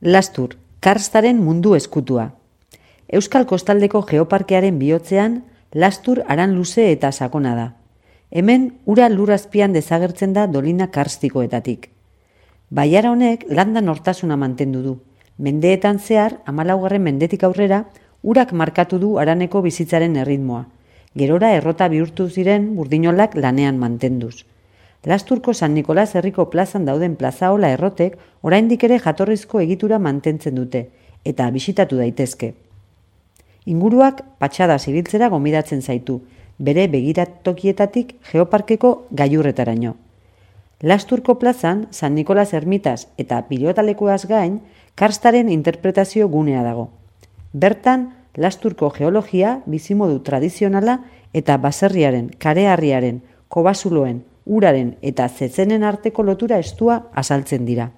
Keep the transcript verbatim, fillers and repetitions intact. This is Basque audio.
Lastur, karstaren mundu eskutua. Euskal Kostaldeko Geoparkearen bihotzean, Lastur aran luze eta sakona da. Hemen, ura lur azpian desagertzen da dolina karstikoetatik. Baiara honek landa nortasuna mantendu du. Mendeetan zehar, hamalaugarren mendetik aurrera, urak markatu du haraneko bizitzaren erritmoa. Gerora errota bihurtu ziren burdinolak lanean mantenduz. Lasturko San Nikolas herriko plazan dauden plazaola errotek oraindik ere jatorrizko egitura mantentzen dute, eta bisitatu daitezke. Inguruak patxada zibiltzera gomidatzen zaitu, bere begiratokietatik Geoparkeko gailurretaraino. Lasturko plazan, San Nikolas ermitaz eta pilotalekuaz gain, karstaren interpretazio gunea dago. Bertan, Lasturko geologia, bizimodu tradizionala eta baserriaren, kareharriaren, kobasuloen, uraren eta zetzenen arteko lotura estua azaltzen dira.